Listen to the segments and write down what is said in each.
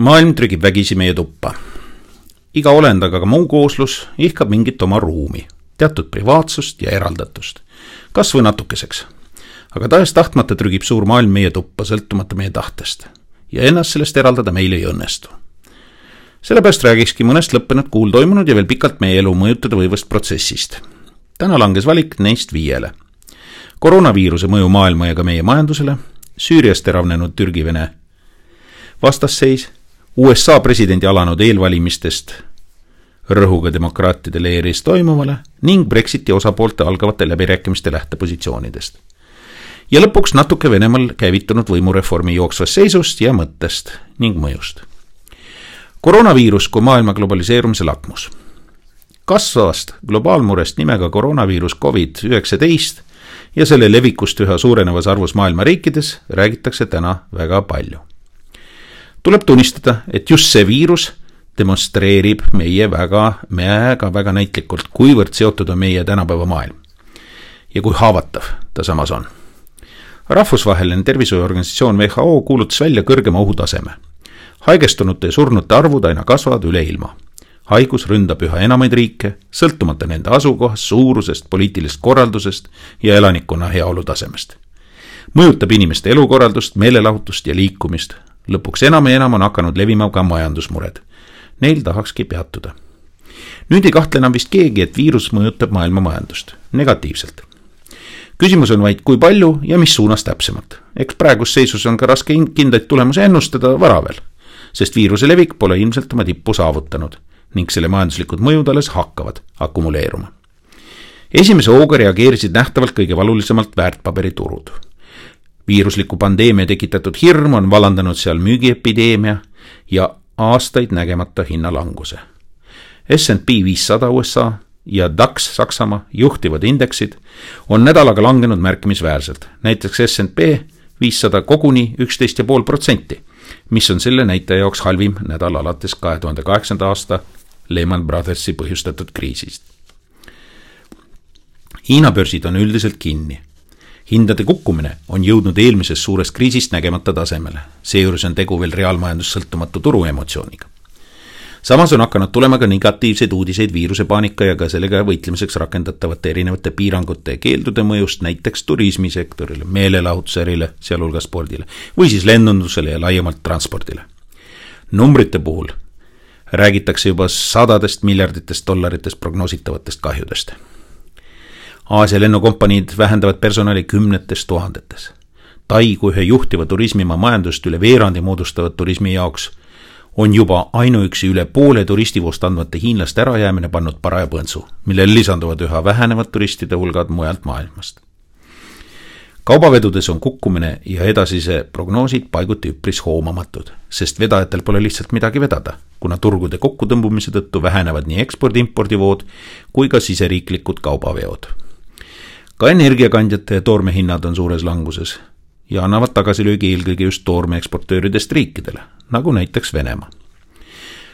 Maailm trügib vägisi meie tuppa. Iga olend, aga ka muu kooslus ihkab mingit oma ruumi, teatud privaatsust ja eraldatust, kas või natukeseks. Aga tahes tahtmata trügib suur maailm meie tuppa, sõltumata meie tahtest, ja ennast sellest eraldada meil ei õnnestu. Sellepärast räägikski mõnest lõppenud kuul toimunud ja veel pikalt meie elu mõjutada võivast protsessist. Täna langes valik neist 5. Koroonaviiruse mõju maailma ja ka meie majandusele, Süüriast teravnenud Türgi-Vene vastasseis, USA presidendi alanud eelvalimistest rõhuga demokraatide leeris toimuvale ning Brexiti osapoolte algavate läbirääkimiste lähtepositsioonidest. Ja lõpuks natuke Venemaal käivitunud võimureformi jooksvast seisust ja mõttest ning mõjust. Koroonaviirus kui maailma globaliseerumise lakmus. Kasvavast globaalmurest nimega koroonaviirus COVID-19 ja selle levikust üha suurenevas arvus maailma riikides räägitakse täna väga palju. Tuleb tunnistada, et just see viirus demonstreerib meie väga näitlikult, kuivõrd seotud on meie tänapäeva maailm ja kui haavatav ta samas on. Rahvusvaheline tervishoiuorganisatsioon WHO kuulutas välja kõrgema ohutaseme. Haigestunute ja surnute arvud aina kasvavad üle ilma. Haigus ründab üha enamaid riike, sõltumata nende asukohast, suurusest, poliitilisest korraldusest ja elanikkonna heaolu tasemest. Mõjutab inimeste elukorraldust, meelelahutust ja liikumist. Lõpuks enam ja enam on hakanud levima ka majandusmured. Neil tahakski peatuda. Nüüd ei kahtle enam vist keegi, et viirus mõjutab maailma majandust negatiivselt. Küsimus on vaid kui palju ja mis suunas täpsemalt. Eks praegus seisus on ka raske kindlaid tulemusi ennustada vara veel, sest viiruse levik pole ilmselt oma tippu saavutanud ning selle majanduslikud mõjud alles hakkavad akumuleeruma. Esimese hooga reageerisid nähtavalt kõige valulisemalt väärtpaberiturud. Viirusliku pandeemia tekitatud hirm on vallandanud seal müügiepideemia ja aastaid nägemata hinnalanguse. S&P 500 USA ja DAX Saksamaa juhtivad indeksid on nädalaga langenud märkimisväärselt. Näiteks S&P 500 koguni 11,5%, mis on selle näitaja jaoks halvim nädal alates 2008. aasta Lehman Brothersi põhjustatud kriisist. Hiina börsid on üldiselt kinni. Hindade kukkumine on jõudnud eelmisest suurest kriisist nägemata tasemele. Seejuures on tegu veel reaalmajandus sõltumatu turuemotsiooniga. Samas on hakanud tulema ka negatiivseid uudiseid viirusepaanika ja ka sellega võitlemiseks rakendatavate erinevate piirangute ja keeldude mõjust näiteks turismisektorile, meelelahutusärile, sealhulgas spordile või siis lennundusele ja laiemalt transpordile. Numbrite puhul räägitakse juba sadadest miljarditest dollaritest prognoositavatest kahjudest. Aasia lennukompaniid vähendavad personali 10 000. Tai kui ühe juhtiva turismimaa majandust üle veerandi moodustavad turismi jaoks on juba ainuüksi üle poole turistivoost andvate hiinlaste ärajäämine pannud paraja põntsu, millel lisanduvad üha vähenevad turistide hulgad mujalt maailmast. Kaubavedudes on kukkumine ja edasise prognoosid paiguti üpris hoomamatud, sest vedajatel pole lihtsalt midagi vedada, kuna turgude kokkutõmbumise tõttu vähenevad nii ekspordi-impordivood kui ka siseriiklikud kaubaveod. Ka energiakandjate ja toorme hinnad on suures languses ja annavad tagasilöögi eelkõige just toorme eksportööridest riikidele, nagu näiteks Venemaa.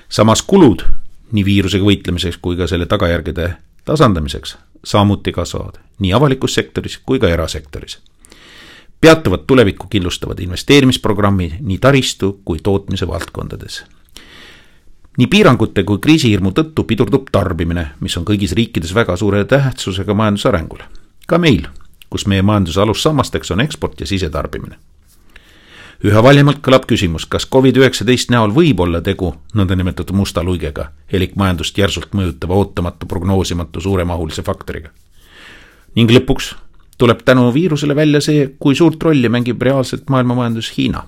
Samas kulud nii viirusega võitlemiseks kui ka selle tagajärgede tasandamiseks samuti kasvavad nii avalikus sektoris kui ka erasektoris. Peatuvad tulevikku kindlustavad investeerimisprogrammid nii taristu kui tootmise valdkondades. Nii piirangute kui kriisihirmu tõttu pidurdub tarbimine, mis on kõigis riikides väga suure tähtsusega majandusarengule. Ka meil, kus meie majanduse alussammasteks on eksport ja sisetarbimine. Üha valjemalt kõlab küsimus, kas COVID-19 näol võib olla tegu nõndanimetatud musta luigega, elik majandust järsult mõjutava ootamatu prognoosimatu suuremahulise faktoriga. Ning lõpuks tuleb tänu viirusele välja see, kui suurt rolli mängib reaalselt maailma majandus Hiina.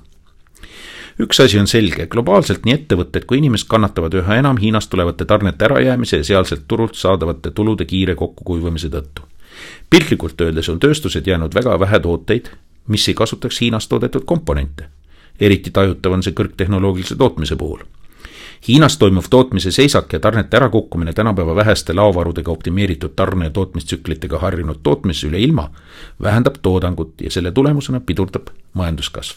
Üks asi on selge, globaalselt nii ettevõtted kui inimesed kannatavad üha enam Hiinast tulevate tarnete ärajäämise ja sealselt turult saadavate tulude kiire kokkukuivamise tõttu. Piltlikult öeldes on tööstused jäänud väga vähe tooteid, mis ei kasutaks Hiinas toodetud komponente. Eriti tajutav on see kõrgtehnoloogilise tootmise puhul. Hiinas toimuv tootmise seisak ja tarnete ärakukkumine tänapäeva väheste laovarudega optimeeritud tarne- ja tootmistsüklitega harjunud tootmise üle ilma vähendab toodangut ja selle tulemusena pidurdab majanduskasv.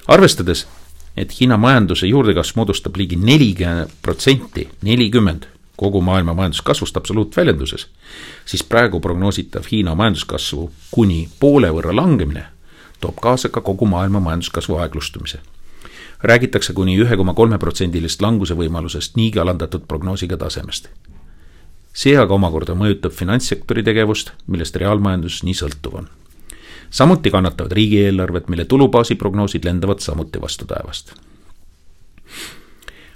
Arvestades, et Hiina majanduse juurdekasv moodustab ligi 40% kogu maailma majanduskasvust absoluutväljenduses, siis praegu prognoositav Hiina majanduskasvu kuni poole võrra langemine toob kaasa ka kogu maailma majanduskasvu aeglustumise. räägitakse kuni 1,3% languse võimalusest niigi alandatud prognoosiga tasemest. See aga omakorda mõjutab finantssektori tegevust, millest reaalmajandus nii sõltuv on. Samuti kannatavad riigieelarved, mille tulubaasi prognoosid lendavad samuti vastu taevast.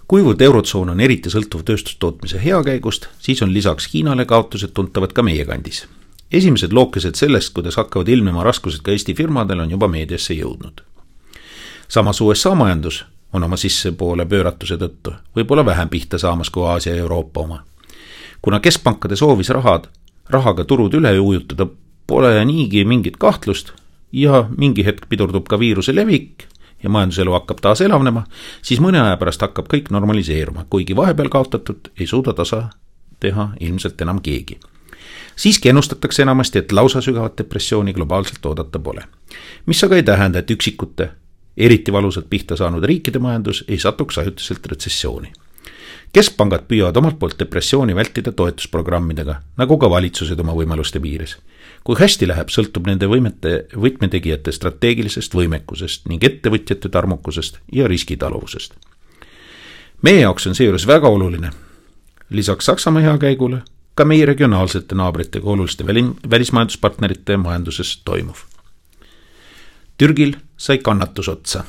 Kuivõrd eurotsoon on eriti sõltuv tööstustootmise heakäigust, siis on lisaks Hiinale kaotused tuntavad ka meie kandis. Esimesed lookesed sellest, kuidas hakkavad ilmnema raskused ka Eesti firmadel, on juba meediasse jõudnud. Samas USA majandus on oma sissepoole pööratuse tõttu võib-olla vähem pihta saamas kui Aasia ja Euroopa oma. Kuna keskpankade soovis rahaga turud üle ujutada, pole niigi mingit kahtlust ja mingi hetk pidurdub ka viiruse levik ja majanduselu hakkab taas elavnema, siis mõne aja pärast hakkab kõik normaliseeruma, kuigi vahepeal kaotatud ei suuda tasa teha ilmselt enam keegi. Siiski ennustatakse enamasti, et lausa sügavat depressiooni globaalselt oodata pole. Mis aga ei tähenda, et üksikute, eriti valusalt pihta saanud riikide majandus ei satuks ajutiselt retsessiooni. Keskpangad püüavad omalt poolt depressiooni vältida toetusprogrammidega, nagu ka valitsused oma võimaluste piires. Kui hästi läheb, sõltub nende võtmetegijate strateegilisest võimekusest ning ettevõtjate tarmukusest ja riskitaluvusest. Meie jaoks on seejuures väga oluline, lisaks Saksamaa heakäigule, ka meie regionaalsete naabritega oluliste välismajanduspartnerite majanduses toimuv. Türgil sai kannatus otsa.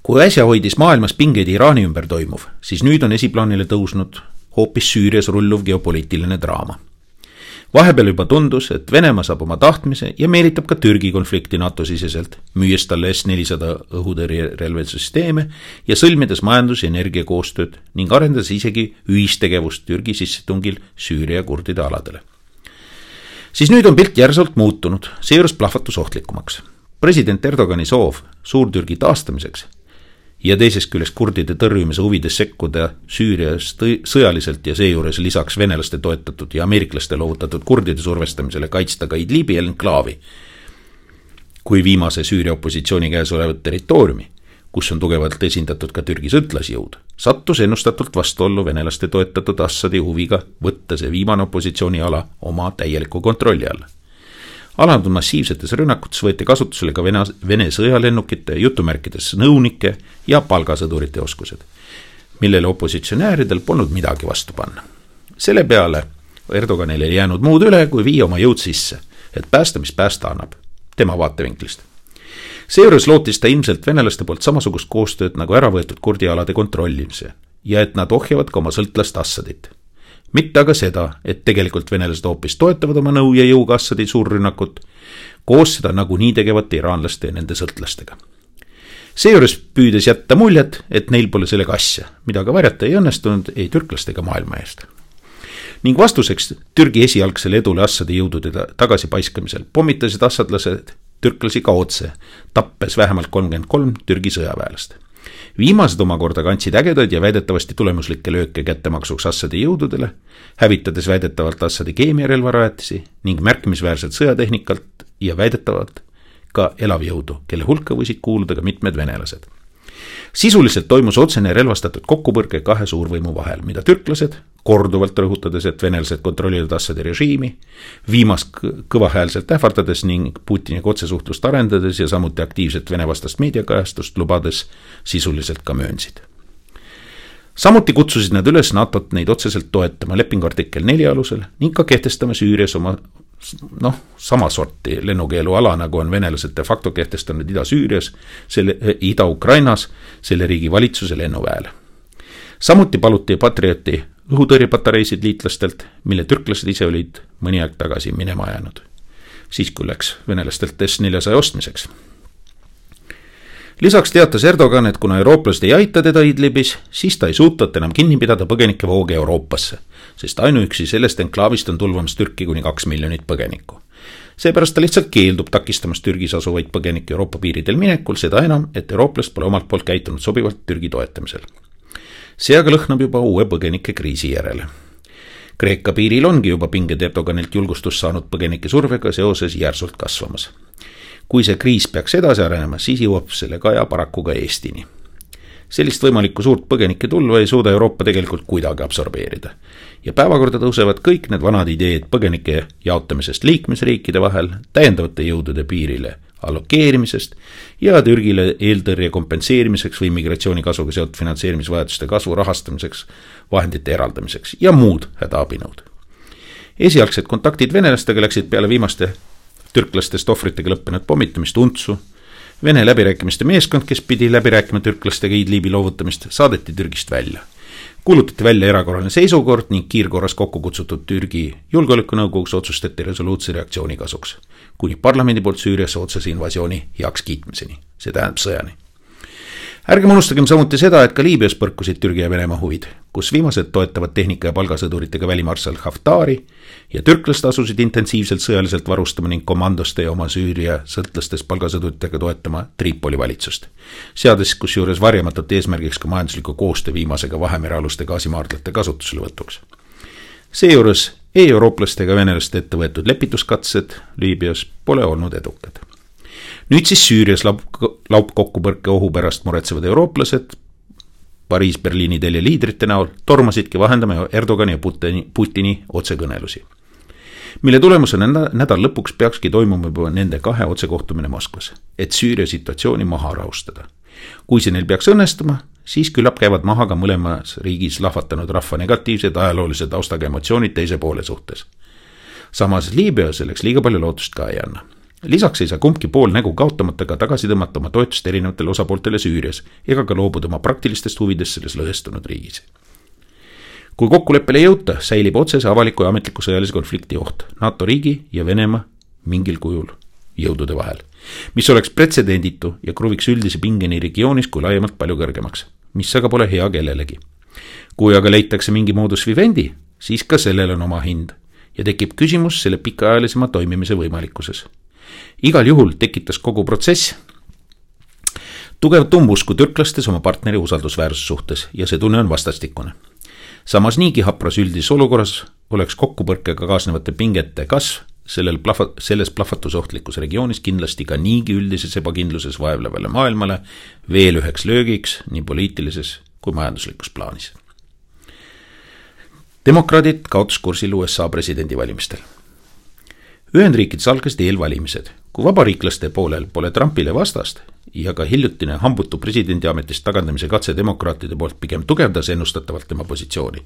Kui äsja hoidis maailmas pingeid Iraani ümber toimuv, siis nüüd on esiplaanile tõusnud hoopis Süürias rulluv geopoliitiline draama. Vahepeal juba tundus, et Venemaa saab oma tahtmise ja meelitab ka Türgi konflikti NATO siseselt, müües talle S-400 õhutõrjerelvesüsteeme ja sõlmides majandus- ja energiakoostööd ning arendas isegi ühistegevust Türgi sissetungil Süüria kurdide aladele. Siis nüüd on pilt järsult muutunud, seejuures plahvatus ohtlikumaks. President Erdogani soov Suur-Türgi taastamiseks ja teisest küljest kurdide tõrjumise huvides sekkuda Süürias sõjaliselt ja seejuures lisaks venelaste toetatud ja ameeriklaste loovutatud kurdide survestamisele kaitsta ka Idlibi enklaavi kui viimase Süüria opositsiooni käes olevat territooriumi, kus on tugevalt esindatud ka Türgi sõtlasjõud, sattus ennustatult vastuollu venelaste toetatud Assadi huviga võtta see viimane opositsiooniala oma täieliku kontrolli alla. Alanud massiivsetes rünnakutes võeti kasutusele ka Vene sõjalennukite, jutumärkides nõunike ja palgasõdurite oskused, millele opositsionääridel polnud midagi vastu panna. Selle peale Erdoganile ei jäänud muud üle, kui viia oma jõud sisse, et päästa, mis päästa annab, tema vaatevinklist. Seejuures lootis ta ilmselt venelaste poolt samasugust koostööd nagu ära võetud kurdialade kontrollimise ja et nad ohjavad ka oma sõltlast Assadit. Mitte aga seda, et tegelikult venelased hoopis toetavad oma nõu ja jõuga Assadi suurrünnakut, koos seda nagunii tegevat iraanlaste ja nende sõltlastega. Seejuures püüdes jätta muljet, et neil pole sellega asja, mida ka varjata ei õnnestunud ei türklastega maailma eest. Ning vastuseks Türgi esialgsele edule Assadi jõudude tagasipaiskamisel pommitasid assadlased türklasi ka otse, tappes vähemalt 33 Türgi sõjaväelast. Viimased omakorda kandsid ägedaid ja väidetavasti tulemuslikke lööke kättemaksuks Assadi jõududele, hävitades väidetavalt Assadi keemiarelvarajatisi ning märkimisväärselt sõjatehnikalt ja väidetavalt ka elavjõudu, kelle hulka võisid kuuluda ka mitmed venelased. Sisuliselt toimus otsene relvastatud kokkupõrge kahe suurvõimu vahel, mida türklased, korduvalt rõhutades, et venelased kontrollivad Assadi režiimi, viimast kõvahäälselt ähvardades ning Putiniga otsesuhtlust arendades ja samuti aktiivset venevastast meediakajastust lubades sisuliselt ka möönsid. Samuti kutsusid nad üles NATO-t neid otseselt toetama lepingu artikkel 4 alusel ning ka kehtestama Süürias oma sama sorti lennukeelu ala, nagu on venelased de facto kehtestanud Ida-Süürias, Ida-Ukrainas, selle riigi valitsuse lennuväele. Samuti paluti Patrioti õhutõrjepatareisid liitlastelt, mille türklased ise olid mõni aeg tagasi minema jäänud. Siis kui läks venelastelt S-400 ostmiseks. Lisaks teatas Erdogan, et kuna eurooplased ei aita teda Idlibis, siis ta ei suutnud enam kinni pidada põgenike vooge Euroopasse, sest ainuüksi sellest enklaavist on tulvamas Türki kuni 2 miljonit põgenikku. Seepärast ta lihtsalt keeldub takistamast Türgis asuvaid põgenikke Euroopa piiridel minekul, seda enam, et eurooplast pole omalt poolt käitunud sobivalt Türgi toetamisel. See aga lõhnab juba uue põgenike kriisi järele. Kreeka piiril ongi juba pinged Erdoganilt julgustust saanud põgenike survega seoses järsult kasvamas. Kui see kriis peaks edasi arenema, siis jõuab selle kaja paraku ka Eestini. Sellist võimalikku suurt põgenike tulva ei suuda Euroopa tegelikult kuidagi absorbeerida. Ja päevakorda tõusevad kõik need vanad ideed põgenike jaotamisest liikmesriikide vahel, täiendavate jõudude piirile allokeerimisest ja Türgile eeltõrje kompenseerimiseks või migratsiooni kasvuga seotud finantseerimisvajaduste kasvu rahastamiseks, vahendite eraldamiseks ja muud hädaabinõud. Esialgsed kontaktid venelastega läksid peale viimaste türklastest ohvritega lõppenud pommitamist untsu. Vene läbirääkimiste meeskond, kes pidi läbi rääkima türklastega Idlibi loovutamist, saadeti Türgist välja. Kuulutati välja erakorraline seisukord ning kiirkorras kokku kutsutud Türgi julgeolekunõukogus otsustati resoluutse reaktsiooni kasuks, kuni parlamendi poolt Süüriasse otsese invasiooni heaks kiitmiseni, see tähendab sõjani. Ärgem unustagem samuti seda, et ka Liibüas põrkusid Türgi ja Venemaa huvid, kus viimased toetavad tehnika ja palgasõduritega välimarssal Haftari ja türklased asusid intensiivselt sõjaliselt varustama ning komandoste ja oma Süüria sõltlastest palgasõduritega toetama Tripoli valitsust, seades kusjuures varjamatult eesmärgiks ka majandusliku koostöö viimasega Vahemerealuste gaasimaardlate kasutusele võtuks. Seejuures eurooplaste ega venelaste ette võetud lepituskatsed Liibüas pole olnud edukad. Nüüd siis Süürias laupkokkupõrke ohu pärast muretsevad eurooplased Pariis-Berliini telje liidrite näol tormasidki vahendama Erdogani ja Putini otsekõnelusi, mille tulemusena nädal lõpuks peakski toimuma juba nende kahe otsekohtumine Moskvas, et Süüria situatsiooni maha rahustada. Kui see neil peaks õnnestuma, siis küllap käivad maha ka mõlemas riigis lahvatanud rahva negatiivsed ajaloolise taustaga emotsioonid teise poole suhtes. Samas Liibüa selleks liiga palju lootust ka ei anna. Lisaks ei saa kumbki pool nägu kaotamata ka tagasi tõmmata oma toetust erinevatele osapooltele Süürias ega ka loobuda oma praktilistest huvidest selles lõhestunud riigis. Kui kokkuleppele ei jõuta, säilib otsese avaliku ja ametliku sõjalise konflikti oht NATO riigi ja Venemaa mingil kujul jõudude vahel, mis oleks pretsedenditu ja kruviks üldise pingeni regioonis kui laiemalt palju kõrgemaks, mis aga pole hea kellelegi. Kui aga leitakse mingi modus vivendi, siis ka sellel on oma hind ja tekib küsimus selle pikaajalisema toimimise võimalikkuses. Igal juhul tekitas kogu protsess tugevat umbusku türklastes oma partneri usaldusväärsuse suhtes ja see tunne on vastastikune. Samas niigi hapras üldises olukorras oleks kokkupõrkega kaasnevate pingete kasv selles plahvatusohtlikus regioonis kindlasti ka niigi üldises ebakindluses vaevlevale maailmale veel üheks löögiks nii poliitilises kui majanduslikus plaanis. Demokraadid kaotuskursil USA presidendivalimistel. Ühendriikides algasid eelvalimised, kui vabariiklaste poolel pole Trumpile vastast ja ka hiljutine hambutu presidendiametist tagandamise katse demokraatide poolt pigem tugevdas ennustatavalt tema positsiooni,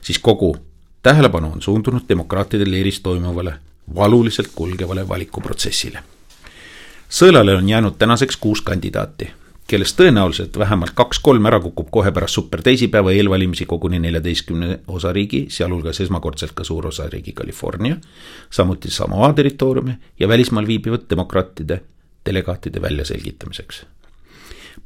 siis kogu tähelepanu on suundunud demokraatide leeris toimuvale valuliselt kulgevale valikuprotsessile. Sõelale on jäänud tänaseks 6 kandidaati, kellest tõenäoliselt vähemalt 2-3 ära kukub kohe pärast superteisipäeva eelvalimisi koguni 14 osariigi, sealhulgas esmakordselt ka suur osariigi California, samuti Samoa territooriumi ja välismaal viibivad demokraatide delegaatide väljaselgitamiseks.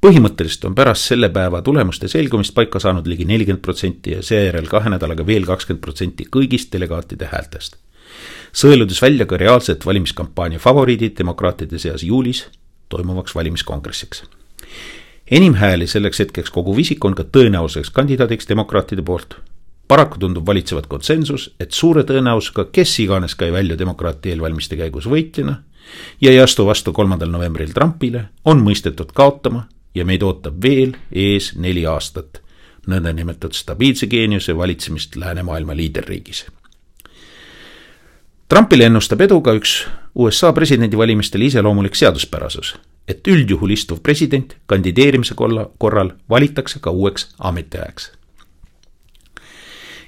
Põhimõtteliselt on pärast selle päeva tulemuste selgumist paika saanud ligi 40% ja seejärel 2 nädalaga veel 20% kõigist delegaatide häältest. Sõeludes välja ka reaalset valimiskampaania favoriidid demokraatide seas juulis toimuvaks valimiskongressiks. Enim hääli selleks hetkeks koguv isik on ka tõenäoliseks kandidaadiks demokraatide poolt. Paraku tundub valitsevat konsensus, et suure tõenäosusega kes iganes käi välja demokraati eelvalmiste käigus võitjana ja ei astu vastu 3. novembril Trumpile, on mõistetud kaotama ja meid ootab veel ees 4 aastat nõndanimetatud stabiilse geeniuse valitsemist läänemaailma liiderriigis. Trumpile ennustab edu ka üks USA presidendivalimistel iseloomulik seaduspärasus, et üldjuhul istuv president kandideerimise korral valitakse ka uueks ametiajaks.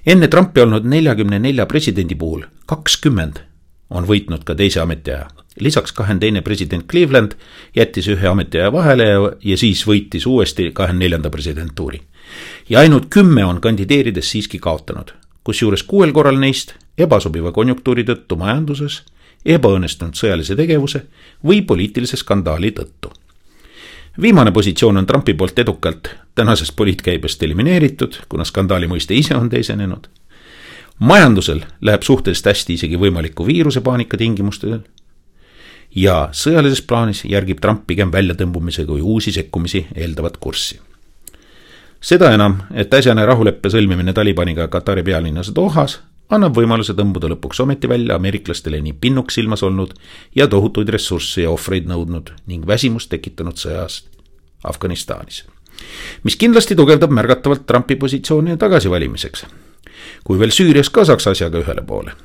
Enne Trumpi olnud 44 presidendi puhul 20 on võitnud ka teise ametiaja. Lisaks 22 president Cleveland jättis ühe ametiaja vahele ja siis võitis uuesti 24. presidentuuri. Ja ainult 10 on kandideerides siiski kaotanud, kusjuures 6 korral neist ebasobiva konjunktuuri tõttu majanduses, ebaõnnestunud sõjalise tegevuse või poliitilise skandaali tõttu. Viimane positsioon on Trumpi poolt edukalt tänasest poliitkäibest elimineeritud, kuna skandaali mõiste ise on teisenenud. Majandusel läheb suhteliselt hästi isegi võimaliku viirusepaanika tingimustel ja sõjalises plaanis järgib Trump pigem väljatõmbumise kui uusi sekkumisi eeldavat kurssi. Seda enam, et äsjane rahuleppe sõlmimine Talibaniga Katari pealinnas Dohas annab võimaluse tõmbuda lõpuks ometi välja ameeriklastele nii pinnuks silmas olnud ja tohutuid ressursse ja ohvreid nõudnud ning väsimust tekitanud sõjast Afganistanis, mis kindlasti tugevdab märgatavalt Trumpi positsiooni tagasivalimiseks, kui veel Süürias ka saaks asjaga ühele poole.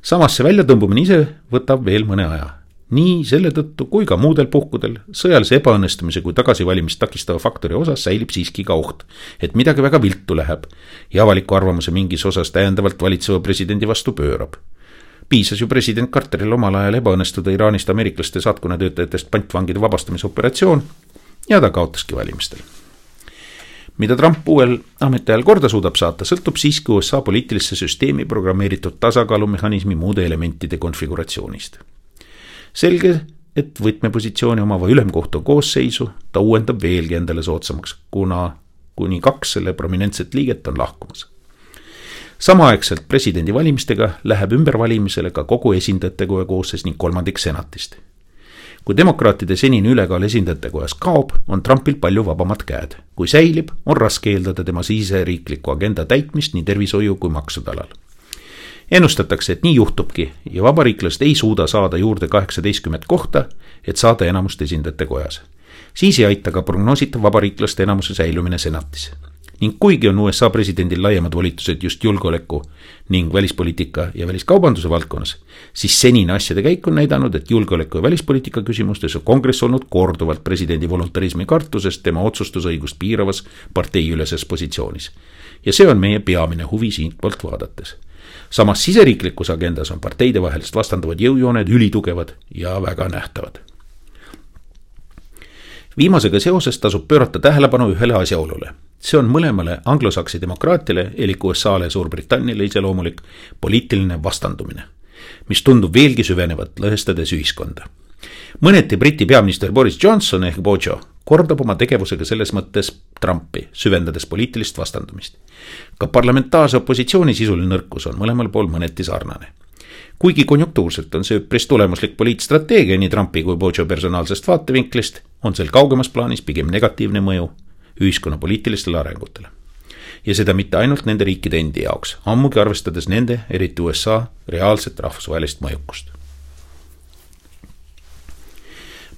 Samas see väljatõmbumine ise võtab veel mõne aja. Nii selle tõttu kui ka muudel puhkudel sõjalise ebaõnnestumise kui tagasivalimist takistava faktori osas säilib siiski ka oht, et midagi väga viltu läheb ja avaliku arvamuse mingis osas täiendavalt valitseva presidendi vastu pöörab. Piisas ju president Carteril omal ajal ebaõnnestuda Iraanist ameeriklaste saatkonna töötajatest pantvangide vabastamise operatsioon ja ta kaotaski valimistel. Mida Trump uuel ametiajal korda suudab saata, sõltub siiski USA poliitilisse süsteemi programmeeritud tasakaalumehhanismi muude elementide konfiguratsioonist. Selge, et võtmepositsiooni omava ülemkohtu koosseisu ta uuendab veelgi endale soodsamaks, kuna kuni 2 selle prominentset liiget on lahkumas. Samaaegselt presidendi valimistega läheb ümbervalimisele ka kogu esindajatekoja koosseis ning 3 senatist. Kui demokraatide senine ülekaal esindajatekojas kaob, on Trumpil palju vabamad käed. Kui säilib, on raske eeldada tema siseriikliku agenda täitmist nii tervishoiu kui maksude alal. Ennustatakse, et nii juhtubki ja vabariiklased ei suuda saada juurde 18 kohta, et saada enamust esindajate kojas. Siis ei aita ka prognoositav vabariiklaste enamuse säilumine senatis. Ning kuigi on USA presidendil laiemad volitused just julgeoleku ning välispoliitika ja väliskaubanduse valdkonnas, siis senine asjade käik on näidanud, et julgeoleku ja välispoliitika küsimustes on kongress olnud korduvalt presidendi voluntarismi kartusest tema otsustusõigust piiravas parteiüleses positsioonis. Ja see on meie peamine huvi siit poolt vaadates. Samas siseriiklikus agendas on parteide vahelist vastanduvad jõujooned ülitugevad ja väga nähtavad. Viimasega seoses tasub pöörata tähelepanu ühele asjaolule. See on mõlemale anglosaksi demokraatiale, elik USA-le ja Suurbritanniale iseloomulik poliitiline vastandumine, mis tundub veelgi süvenevat lõhestades ühiskonda. Mõneti Briti peaminister Boris Johnson ehk Bojo kordab oma tegevusega selles mõttes Trumpi, süvendades poliitilist vastandumist. Ka parlamentaarse opositsiooni sisuline nõrkus on mõlemal pool mõneti sarnane. Kuigi konjunktuurselt on see üpris tulemuslik poliitstrateegia nii Trumpi kui Bojo personaalsest vaatevinklist, on sel kaugemas plaanis pigem negatiivne mõju ühiskonna poliitilistele arengutele. Ja seda mitte ainult nende riikide endi jaoks, ammugi arvestades nende, eriti USA, reaalset rahvusvahelist mõjukust.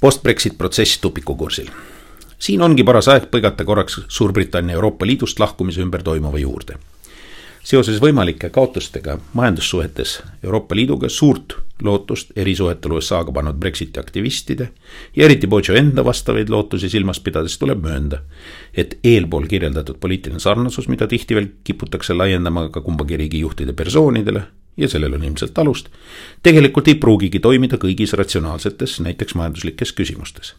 Post-Brexit protsess tupikukursil. Siin ongi paras aeg põigata korraks Suurbritannia Euroopa Liidust lahkumise ümber toimuva juurde. Seoses võimalike kaotustega majandussuhetes Euroopa Liiduga suurt lootust erisuhetel USA-ga pannud Brexiti aktivistide ja eriti Bojo enda vastavaid lootusi silmas pidades tuleb möönda, et eelpool kirjeldatud poliitiline sarnasus, mida tihti veel kiputakse laiendama ka kumbagi riigi juhtide persoonidele, ja sellel on ilmselt alust, tegelikult ei pruugigi toimida kõigis ratsionaalsetes, näiteks majanduslikes küsimustes.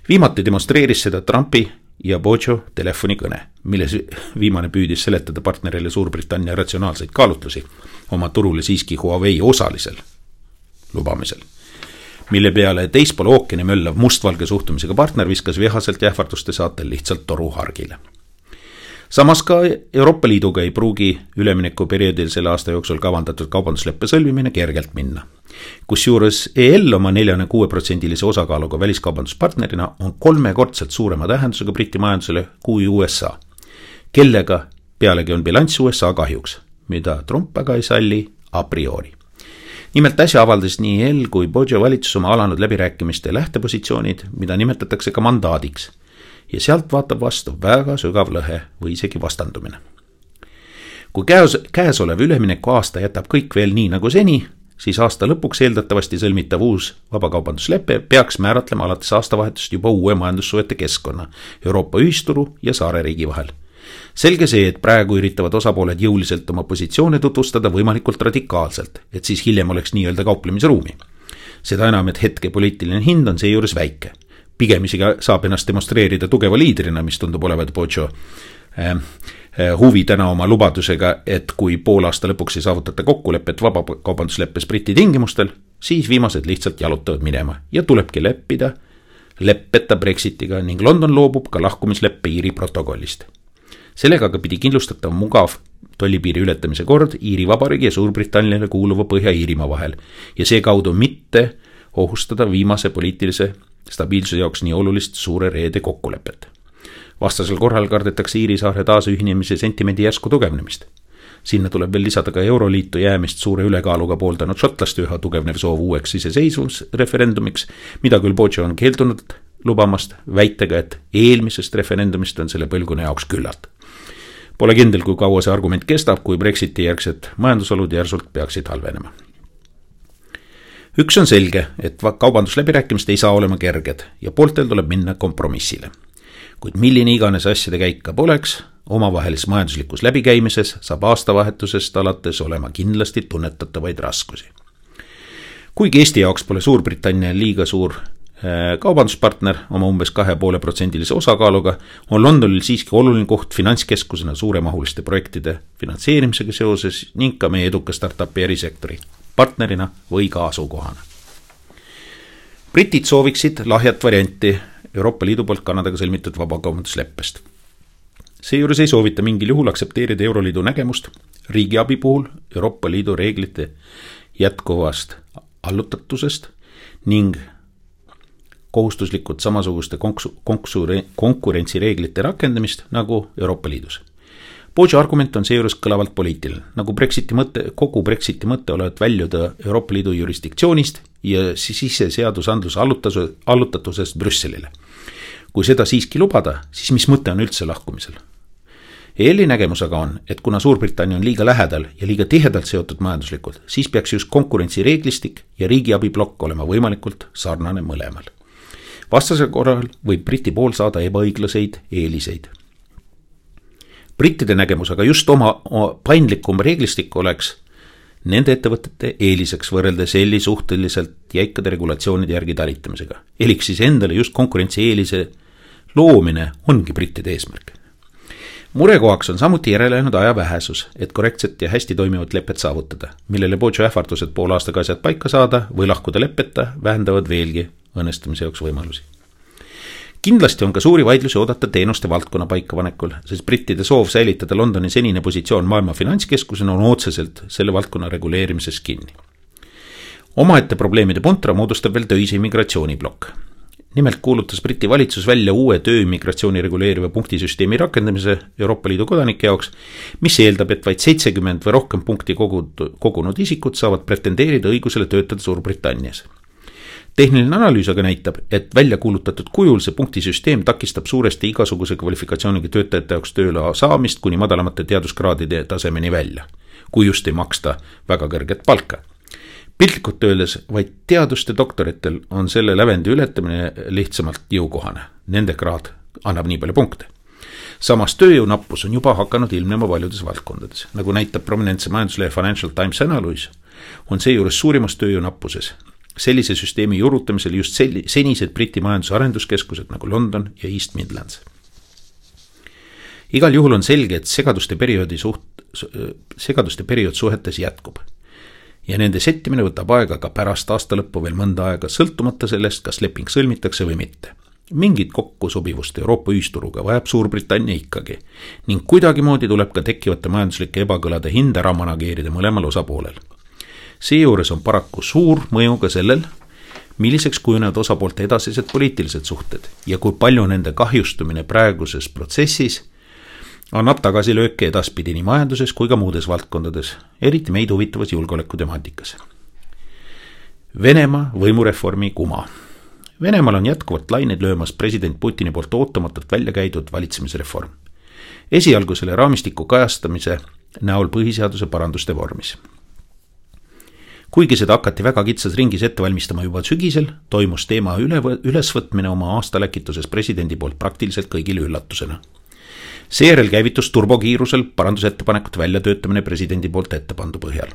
Viimati demonstreeris seda Trumpi ja Bojo telefonikõne, milles viimane püüdis seletada partnerile Suurbritannia ratsionaalseid kaalutlusi oma turule siiski Huawei osalisel lubamisel, mille peale teispool ookeani möllav mustvalge suhtumisega partner viskas vihaselt ja ähvarduste saatel lihtsalt toru hargile. Samas ka Euroopa Liiduga ei pruugi üleminekuperioodil selle aasta jooksul kavandatud kaubandusleppe sõlmimine kergelt minna. Kusjuures EL oma 46% osakaaluga väliskaubanduspartnerina on 3-kordselt suurema tähendusega Briti majandusele kui USA, kellega pealegi on bilanss USA kahjuks, mida Trump aga ei salli a priori. Nimelt äsja avaldas nii EL kui Bojo valitsus oma alanud läbirääkimiste lähtepositsioonid, mida nimetatakse ka mandaadiks, ja sealt vaatab vastu väga sügav lõhe või isegi vastandumine. Kui käesolev ülemineku aasta jätab kõik veel nii nagu seni, siis aasta lõpuks eeldatavasti sõlmitav uus vabakaubanduslepe peaks määratlema alates aastavahetust juba uue majandussuhete keskkonna Euroopa ühisturu ja saareriigi vahel. Selge see, et praegu üritavad osapooled jõuliselt oma positsioone tutvustada võimalikult radikaalselt, et siis hiljem oleks nii-öelda kauplemisruumi. Seda enam, et hetke poliitiline hind on seejuures väike. Pigem isegi saab ennast demonstreerida tugeva liidrina, mis tundub olevat Bojo huvi täna oma lubadusega, et kui pool aasta lõpuks ei saavutata kokkulepet vabakaubandusleppes Briti tingimustel, siis viimased lihtsalt jalutavad minema ja tulebki leppeta Brexitiga ning London loobub ka lahkumisleppe Iiri protokollist. Sellega aga pidi kindlustatav mugav tollipiiri ületamise kord Iiri Vabariigi ja Suurbritanniale kuuluva Põhja-Iirimaa vahel ja see kaudu mitte ohustada viimase poliitilise stabiilsuse jaoks nii olulist suure reede kokkulepet. Vastasel korral kardetakse Iiri saare taasühinemise sentimendi järsku tugevnemist. Sinna tuleb veel lisada ka Euroliitu jäämist suure ülekaaluga pooldanud šotlaste üha tugevnev soov uueks iseseisvusreferendumiks, mida küll Bojo on keeldunud lubamast väitega, et eelmisest referendumist on selle põlguna jaoks küllalt. Pole kindel, kui kaua see argument kestab, kui Brexiti järgsed majandusolud järsult peaksid halvenema. Üks on selge, et kaubandusläbirääkimist ei saa olema kerged ja pooltel tuleb minna kompromissile. Kuid milline iganes asjade käik ka poleks, omavahelises majanduslikus läbikäimises saab aastavahetusest alates olema kindlasti tunnetatavaid raskusi. Kuigi Eesti jaoks pole Suurbritannia liiga suur kaubanduspartner oma umbes 2,5% osakaaluga, on Londonil siiski oluline koht finantskeskusena suuremahuliste projektide finantseerimisega seoses ning ka meie eduka startupi erisektori partnerina või ka asukohana. Britid sooviksid lahjat varianti Euroopa Liidu poolt Kanadaga sõlmitud vabakaubandusleppest. Seejuures ei soovita mingil juhul aksepteerida Euroliidu nägemust riigiabi puhul Euroopa Liidu reeglite jätkuvast allutatusest ning kohustuslikud samasuguste konkurentsireeglite rakendamist nagu Euroopa Liidus. Bojo argument on seejuures kõlavalt poliitiline, nagu kogu Brexiti mõte olevat väljuda Euroopa Liidu jurisdiktsioonist ja siseseadusandluse allutatusest Brüsselile. Kui seda siiski lubada, siis mis mõte on üldse lahkumisel? EL-i nägemus aga on, et kuna Suurbritannia on liiga lähedal ja liiga tihedalt seotud majanduslikult, siis peaks just konkurentsireeglistik ja riigiabiblokk olema võimalikult sarnane mõlemal. Vastasel korral võib Briti pool saada ebaõiglaseid eeliseid. Brittide nägemus aga just oma paindlikum reeglistik oleks nende ettevõtete eeliseks võrreldes EL-i suhteliselt jäikade regulatsioonide järgi talitamisega. Elik siis endale just konkurentsi eelise loomine ongi brittide eesmärk. Murekohaks on samuti järelejäänud aja vähesus, et korrektset ja hästi toimivat lepet saavutada, millele Bojo ähvardused poole aastaga asjad paika saada või lahkuda leppeta vähendavad veelgi õnnestumise jaoks võimalusi. Kindlasti on ka suuri vaidlusi oodata teenuste valdkonna paikapanekul, sest brittide soov säilitada Londoni senine positsioon maailma finantskeskusena on otseselt selle valdkonna reguleerimises kinni. Omaette probleemide puntra moodustab veel töise immigratsiooniblokk. Nimelt kuulutas Briti valitsus välja uue tööimmigratsiooni reguleeriva punktisüsteemi rakendamise Euroopa Liidu kodanike jaoks, mis eeldab, et vaid 70 või rohkem punkti kogunud isikud saavad pretendeerida õigusele töötada Suurbritannias. Tehniline analüüs aga näitab, et välja kuulutatud kujul see punktisüsteem takistab suuresti igasuguse kvalifikatsiooniga töötajate jaoks tööle saamist kuni madalamate teaduskraadide tasemeni välja, kui just ei maksta väga kõrget palka. Piltlikult öeldes vaid teaduste doktoritel on selle lävendi ületamine lihtsamalt jõukohane. Nende kraad annab nii palju punkte. Samas tööjõunappus on juba hakanud ilmnema paljudes valdkondades. Nagu näitab prominentse majanduslehe Financial Times analüüs, on seejuures suurimas tööjõunappuses. Sellise süsteemi juurutamisel just senised Briti majandusarenduskeskused nagu London ja East Midlands. Igal juhul on selge, et segaduste periood suhetes jätkub. Ja nende settimine võtab aega ka pärast aasta lõppu veel mõnda aega, sõltumata sellest, kas leping sõlmitakse või mitte. Mingit kokkusobivust Euroopa ühisturuga vajab Suurbritannia ikkagi ning kuidagimoodi tuleb ka tekkivate majanduslike ebakõlade hind ära manageerida mõlemal osapoolel. Seejuures on paraku suur mõju ka sellel, milliseks kujunevad osapoolte edasised poliitilised suhted ja kui palju nende kahjustumine praeguses protsessis annab tagasilööke edaspidi nii majanduses kui ka muudes valdkondades, eriti meid huvitavas julgeolekutemaatikas. Venemaa võimureformi kuma. Venemaal on jätkuvalt lained löömas president Putini poolt ootamatult välja käidud valitsemisreform. Esialgu selle raamistiku kajastamise näol põhiseaduse paranduste vormis. Kuigi seda hakati väga kitsas ringis ette valmistama juba sügisel, toimus teema ülesvõtmine oma aastaläkituses presidendi poolt praktiliselt kõigile üllatusena. Seejärel käivitus turbokiirusel parandusettepanekute väljatöötamine presidendi poolt ettepandu põhjal.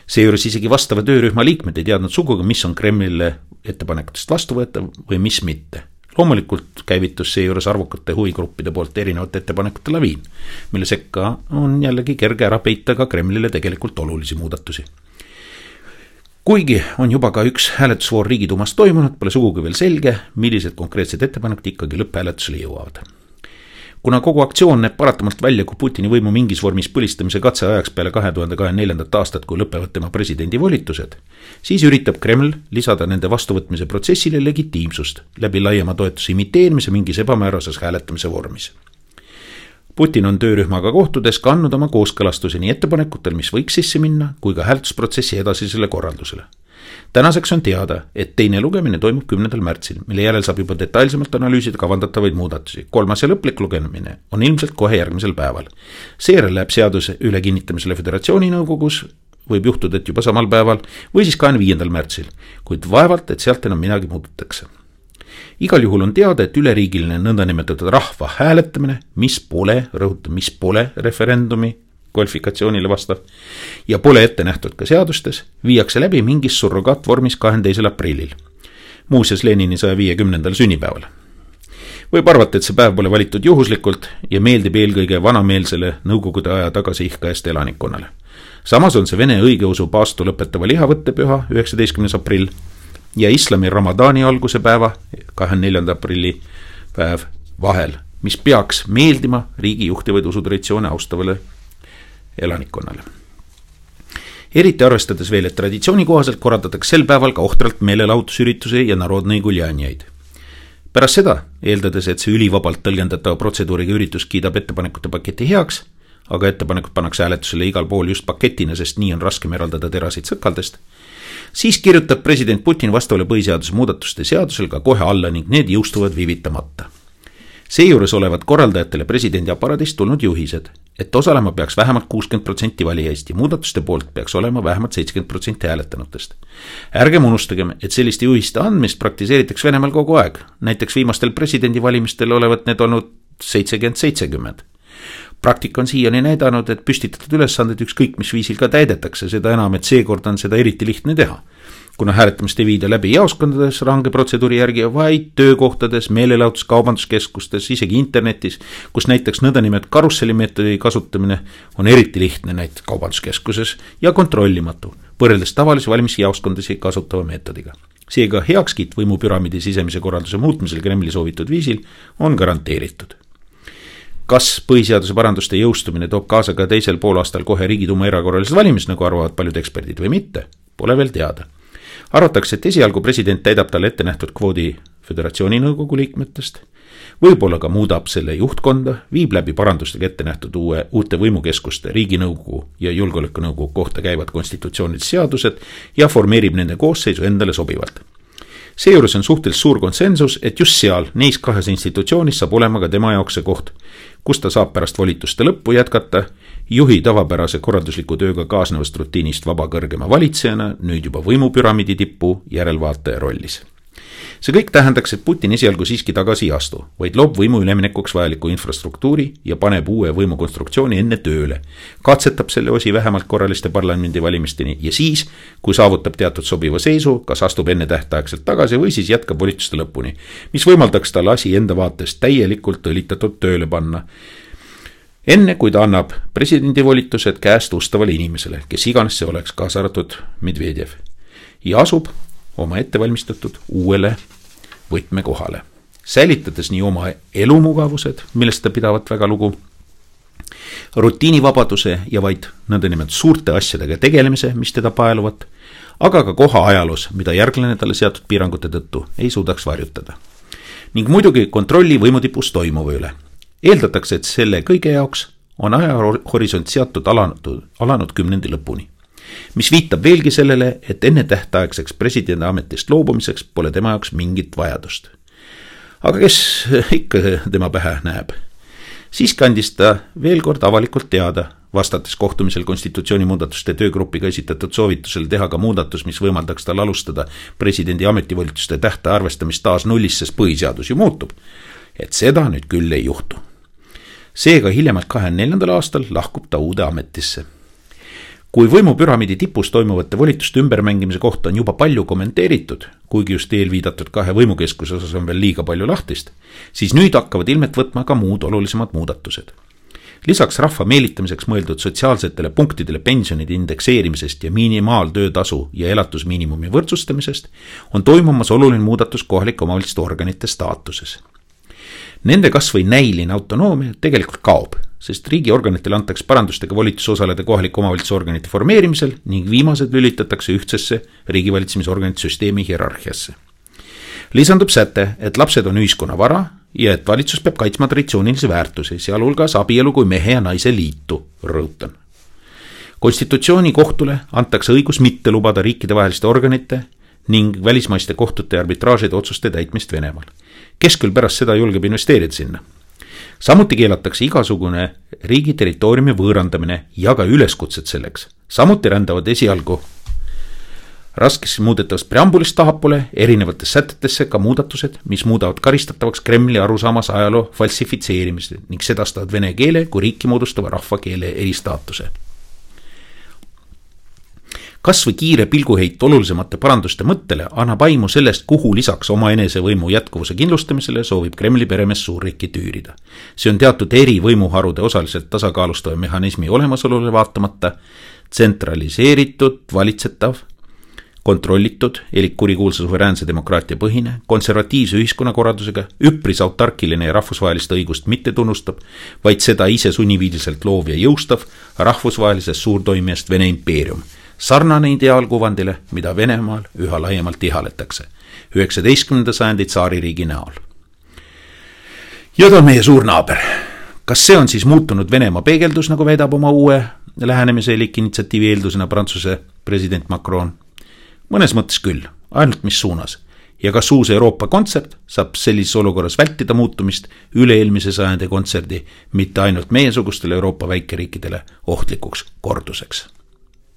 Seejuures isegi vastava töörühma liikmed ei teadnud sugugi, mis on Kremlile ettepanekutest vastuvõetav või mis mitte. Loomulikult käivitus seejuures arvukate huvigruppide poolt erinevate ettepanekute laviin, mille sekka on jällegi kerge ära peita ka Kremlile tegelikult olulisi muudatusi. Kuigi on juba ka üks hääletusvoor Riigiduumas toimunud, pole sugugi veel selge, millised konkreetsed ettepanekud ikkagi lõpphääletusele jõuavad. Kuna kogu aktsioon näeb paratamalt välja, kui Putini võimu mingis vormis põlistamise katse ajaks peale 2024. aastat, kui lõpevad tema presidendi volitused, siis üritab Kreml lisada nende vastuvõtmise protsessile legitiimsust läbi laiema toetuse imiteerimise mingis ebamäärases hääletamise vormis. Putin on töörühmaga kohtudes kannud oma kooskõlastusi nii ettepanekutel, mis võiks sisse minna, kui ka hääletusprotsessi edasisele korraldusele. Tänaseks on teada, et teine lugemine toimub 10. märtsil, mille järel saab juba detailsemalt analüüsida kavandatavaid muudatusi. 3. ja lõplik lugemine on ilmselt kohe järgmisel päeval. Seejärel läheb seaduse üle kinnitamisele Föderatsiooni nõukogus võib juhtuda, et juba samal päeval või siis 25. märtsil, kuid vaevalt, et sealt enam midagi muudetakse. Igal juhul on teada, et üleriigiline nõndanimetatud rahva hääletamine, mis pole referendumi kvalifikatsioonile vastav ja pole ette nähtud ka seadustes, viiakse läbi mingis surrogaatvormis 22. aprillil, muuseas Lenini 150. sünnipäeval. Võib arvata, et see päev pole valitud juhuslikult ja meeldib eelkõige vanameelsele nõukogude aja tagasiihkajast elanikkonnale. Samas on see Vene õigeusu paastu lõpetava lihavõttepüha 19. aprill ja islami Ramadani alguse päeva 24. aprilli päev vahel, mis peaks meeldima riigi juhtivaid usutraditsioone austavale elanikkonnale. Eriti arvestades veel, et traditsiooni kohaselt korraldatakse sel päeval ka ohtralt meelelahutusürituse ja narodnõi guljanjaid. Pärast seda, eeldades, et see ülivabalt tõlgendatava protseduuriga üritus kiidab ettepanekute paketi heaks, aga ettepanekud pannakse hääletusele igal pool just paketina, sest nii on raskem eraldada terasid sõkaldest, siis kirjutab president Putin vastavale põhiseaduse muudatuste seadusel ka kohe alla ning need jõustuvad viivitamata. Seejuures olevat korraldajatele presidendi aparaadist tulnud juhised, et osalema peaks vähemalt 60% valijaist ja muudatuste poolt peaks olema vähemalt 70% hääletanutest. Ärgem unustagem, et selliste juhiste andmist praktiseeritakse Venemaal kogu aeg. Näiteks viimastel presidendivalimistel olevat need olnud 70-70. Praktika on siiani näidanud, et püstitatud ülesanded ükskõik mis viisil ka täidetakse, seda enam, et seekord on seda eriti lihtne teha. Kuna hääletamist ei viida läbi jaoskondades range protseduuri järgi, vaid töökohtades, meelelahutus, kaubanduskeskustes, isegi internetis, kus näiteks nõndanimetatud karussellimeetodi kasutamine on eriti lihtne näiteks kaubanduskeskuses ja kontrollimatu, võrreldes tavalise valimisjaoskondasi kasutava meetodiga. Seega heakskiit võimupüramiidi sisemise korralduse muutmisel Kremli soovitud viisil on garanteeritud. Kas põhiseaduse paranduste jõustumine toob kaasa ka teisel poolaastal kohe Riigiduuma erakorralised valimised, nagu arvavad paljud eksperdid või mitte, pole veel teada. Arvatakse, et esialgu president täidab talle ette nähtud kvoodi föderatsiooni nõukogu liikmetest, võib-olla ka muudab selle juhtkonda, viib läbi parandustega ette nähtud uute võimukeskuste Riiginõukogu ja Julgeolekunõukogu kohta käivad konstitutsioonilised seadused ja formeerib nende koosseisu endale sobivalt. Seejuures on suhteliselt suur konsensus, et just seal, neis kahes institutsioonis saab olema ka tema jaoks see koht, kus ta saab pärast volituste lõppu jätkata juhi tavapärase korraldusliku tööga kaasnevast rutiinist vaba kõrgema valitsejana, nüüd juba võimupüramiidi tippu järelvaataja rollis. See kõik tähendaks, et Putin esialgu siiski tagasi ei astu, vaid loob võimu üleminekuks vajaliku infrastruktuuri ja paneb uue võimukonstruktsiooni enne tööle, katsetab selle osi vähemalt korraliste parlamendivalimisteni ja siis, kui saavutab teatud sobiva seisu, kas astub enne tähtaegselt tagasi või siis jätkab volituste lõpuni, mis võimaldaks tal asi enda vaatest täielikult õlitatud tööle panna. Enne kui ta annab presidendi volitused käest ustavale inimesele, kes iganes see oleks, kaasa arvatud Medvedjev, ja asub oma ettevalmistatud uuele võtmekohale, säilitades nii oma elumugavused, millest ta pidavat väga lugu, rutiinivabaduse ja vaid nõndanimelt suurte asjadega tegelemise, mis teda paeluvat, aga ka koha ajaloos, mida järglane talle seatud piirangute tõttu ei suudaks varjutada. Ning muidugi kontrolli võimutipus toimuva üle. Eeldatakse, et selle kõige jaoks on ajahorisont seatud alanud 10. lõpuni, mis viitab veelgi sellele, et enne tähtaegseks presidendi ametist loobumiseks pole tema jaoks mingit vajadust. Aga kes ikka tema pähe näeb? Siiski andis ta veel kord avalikult teada, vastates kohtumisel konstitutsiooni muudatuste töögrupiga esitatud soovitusel teha ka muudatus, mis võimaldaks tal alustada presidendi ametivolituste tähtaja arvestamist taas nullist, sest põhiseadus ju muutub, et seda nüüd küll ei juhtu. Seega hiljemalt 24. aastal lahkub ta uude ametisse. Kui võimupüramiidi tipus toimuvate volituste ümbermängimise kohta on juba palju kommenteeritud, kuigi just eelviidatud kahe võimukeskuse osas on veel liiga palju lahtist, siis nüüd hakkavad ilmet võtma ka muud olulisemad muudatused. Lisaks rahva meelitamiseks mõeldud sotsiaalsetele punktidele pensionide indekseerimisest ja minimaaltöötasu ja elatusmiinimumi võrdsustamisest on toimumas oluline muudatus kohalike omavalitsuste organite staatuses. Nende kas või näiline autonoomia tegelikult kaob, sest riigiorganitele antakse parandustega volitus osaleda kohaliku omavalitsusorganite formeerimisel ning viimased lülitatakse ühtsesse riigivalitsemisorganite süsteemi hierarhiasse. Lisandub säte, et lapsed on ühiskonna vara ja et valitsus peab kaitsma traditsioonilisi väärtusi, sealhulgas abielu kui mehe ja naise liitu, rõhutan. Konstitutsiooni kohtule antakse õigus mitte lubada riikidevaheliste organite ning välismaiste kohtute arbitraažide otsuste täitmist Venemaal. Kes küll pärast seda julgeb investeerida sinna? samuti keelatakse igasugune riigi territooriumi võõrandamine ja ka üleskutsed selleks. Samuti rändavad esialgu raskesti muudetavast preambulist tahapoole erinevates sätetesse ka muudatused, mis muudavad karistatavaks Kremli arusaamas ajaloo falsifitseerimist ning sedastavad vene keele kui riiki moodustava rahvakeele eristaatuse. Kas või kiire pilguheit olulisemate paranduste mõttele annab aimu sellest, kuhu lisaks oma enesevõimu jätkuvuse kindlustamisele soovib Kremli peremees suurriiki tüürida. See on teatud eri võimuharude osaliselt tasakaalustava mehhanismi olemasolule vaatamata tsentraliseeritud, valitsetav, kontrollitud, elik kurikuulsa suveräänse demokraatia põhine, konservatiivse ühiskonnakorraldusega, üpris autarkiline ja rahvusvahelist õigust mitte tunnustab, vaid seda ise sunniviidiliselt loov ja jõustav rahvusvahelisest suurtoimijast Vene impeerium. Sarnane ideaalkuvandile, mida Venemaal üha laiemalt ihaletakse. 19. sajandi tsaaririigi näol. Ja ta on meie suur naaber. Kas see on siis muutunud Venemaa peegeldus, nagu väidab oma uue lähenemise elik initsiatiivi eeldusena Prantsuse president Macron? Mõnes mõttes küll, ainult mis suunas. Ja kas uus Euroopa kontsept saab sellises olukorras vältida muutumist üle-eelmise sajandi kontserdi, mitte ainult meiesugustele Euroopa väikeriikidele ohtlikuks korduseks.